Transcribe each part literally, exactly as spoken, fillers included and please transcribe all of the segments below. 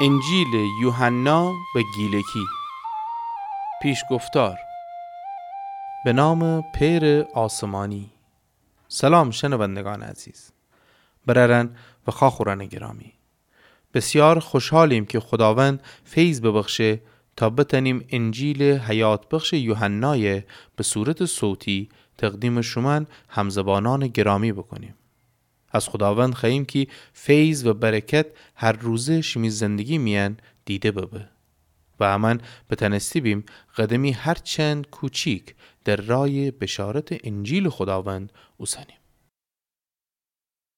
انجیلٚ یوحنا به گیلکی. پیشگفتار. به نامٚ پئرٚ آسمانی. سلام شنوندگانٚ عزیز، برأرأن و خواخورأنٚ گرامی. بسیار خوشحالیم کی خوداوند فیض ببخشه تا بتأنیم انجیلٚ حیات‌بخشٚ یوحنایَ به صورتٚ صوتی تقدیمٚ شومأن همزبانأنٚ گرامی بوکونیم. از خوداوند خوأییم کی فیض و برکت هر روزه شیمی زندگی میأن دیده ببه و امأن بتأنسته‌بیم قدمی هرچند کوچیک در رأیٚ بشارتٚ انجیلٚ خوداوند اوسنیم.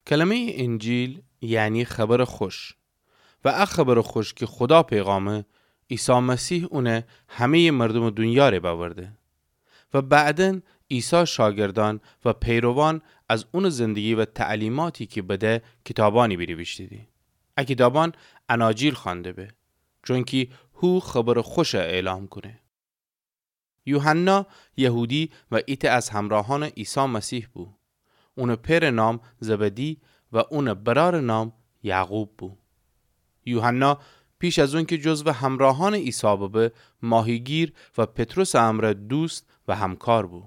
کلمه‌یٚ انجیل یعنی خبرٚ خوش. و ا خبرٚ خوش کی خودا پیغامه، عیسی مسیح اونَ همه‌یٚ مردومٚ دونیا ره بأورده. و بعداً عیسی شاگردأن و پیروان از اونٚ زندگی و تعلیماتی کی بده کیتابأنی بینیویشتیدی. ا کیتابأن اناجیل خوأنده به، چونکی هو خبرٚ خوشَ اعلام کونه. یوحنا یهودی و ایتأ از همراهأنٚ عیسی مسیح بو. اونٚ پئرٚ نام زبدی و اونٚ برأرٚ نام یعقوب بو. یوحنا پیش از اونکی جزوٚ همراهأنٚ عیسی ببه، ماهیگیر و پطرسٚ امرأ دوست و همکار بو.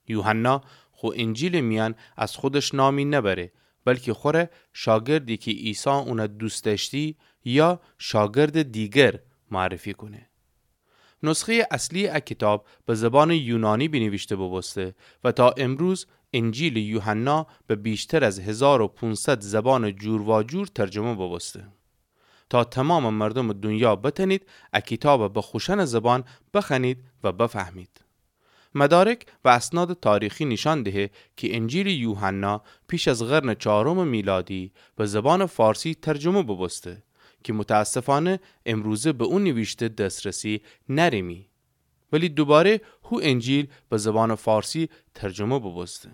یوحنا خو انجیلٚ میأن از خودش نامی نبره، بلکی خوره شاگردی کی عیسی اونَ دوست دأشتی یا شاگردٚ دیگر معرفی کونه. نسخه‌یٚ اصلیٚ ا کیتاب به زبانٚ یونانی بینیویشته بوبوسته و تا امروز انجیلٚ یوحنا به بیشتر از هزار و پونصد زبانٚ جورواجور ترجمه بوبوسته. تا تومامٚ مردومٚ دونیا بتأنید ا کیتابَ به خوشأنٚ زبان بخوأنید و بفهمید. مدارک و اسنادٚ تاریخی نیشأن دهه کی انجیلٚ یوحنا پیش از قرنٚ چهارمٚ میلادی به زبانٚ فارسی ترجمه بوبوسته کی متأسفأنه امروزه به او نیویشته دسترسی نأریمی. ولی دوباره هو انجیل به زبانٚ فارسی ترجمه بوبوسته.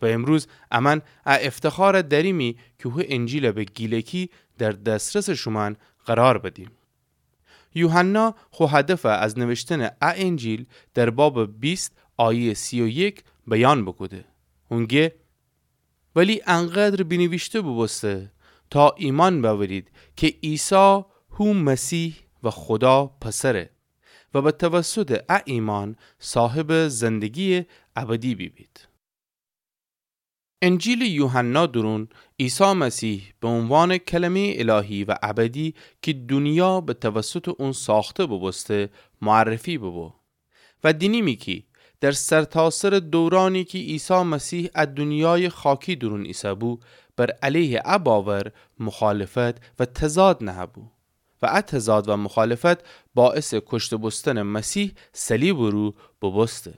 و امروز امأن ا افتخارَ دأریمی کی هو انجیلَ به گیلکی در دسترسٚ شومأن قرار بدیم. یوحنا خو هدفَ از نوشتنٚ ا انجیل در بابٚ بیست آیه‌یٚ سی و یک بیان بوکوده. اون گه ولی انقدر بینیویشته بوبوسته تا ایمأن بأورید کی عیسی هو مسیح و خودا پسره و به توسطٚ ا ایمأن صاحبٚ زندگی‌یٚ ابدی بیبید. انجیلٚ یوحنا دورون عیسی مسیح به عنوانٚ کلمه‌یٚ الهی و ابدی کی دونیا به توسطٚ اون ساخته بوبوسته معرفی بوبو. و دینیمی کی در سرتاسرٚ دورأنی کی عیسی مسیح ا دونیایٚ خاکی دورون ایسه‌بو، بر علیهٚ ا باور مخالفت و تضاد نهه‌بو. و ا تضاد و مخالفت باعثٚ کشته بوستنٚ مسیح صلیبٚ رو بوبوسته.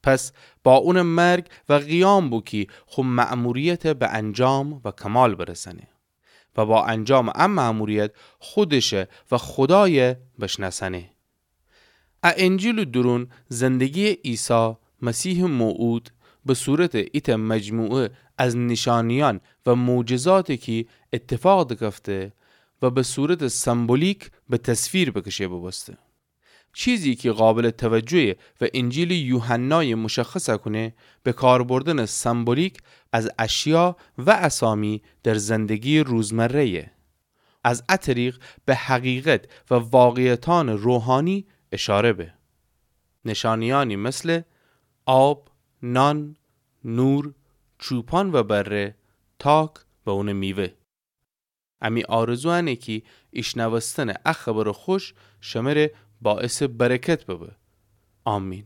پس با اونٚ مرگ و قیام بو کی خو مأموریتَ به انجام و کمال برسأنه و با انجامٚ ا مأموریت خودشَ و خودایَ بشنأسأنه. ا انجیلٚ دورون زندگی‌یٚ عیسی مسیحٚ موعود به صورتٚ ایتأ مجموعه از نیشأنیأن و معجزاتی کی ایتفاق دکفته و به صورتٚ سمبولیک به تصویر بکشه بوبوسته. چیزی کی قابلٚ توجه‌یه و انجیلٚ یوحنایَ مشخصَ کونه، به کار بردنٚ سمبولیک از اشیا و اسامی در زندگی‌یٚ روزمره‌یه. از ا طریق به حقیقت و واقعیتأنٚ روحانی اشاره به. نیشأنیأنی مثلٚ آب، نان، نور، چوپان و بره، تاک و اونٚ میوه. امی آرزو انه کی ایشنوستنٚ ا خبرٚ خوش شمره باعثٚ برکت ببه. آمین.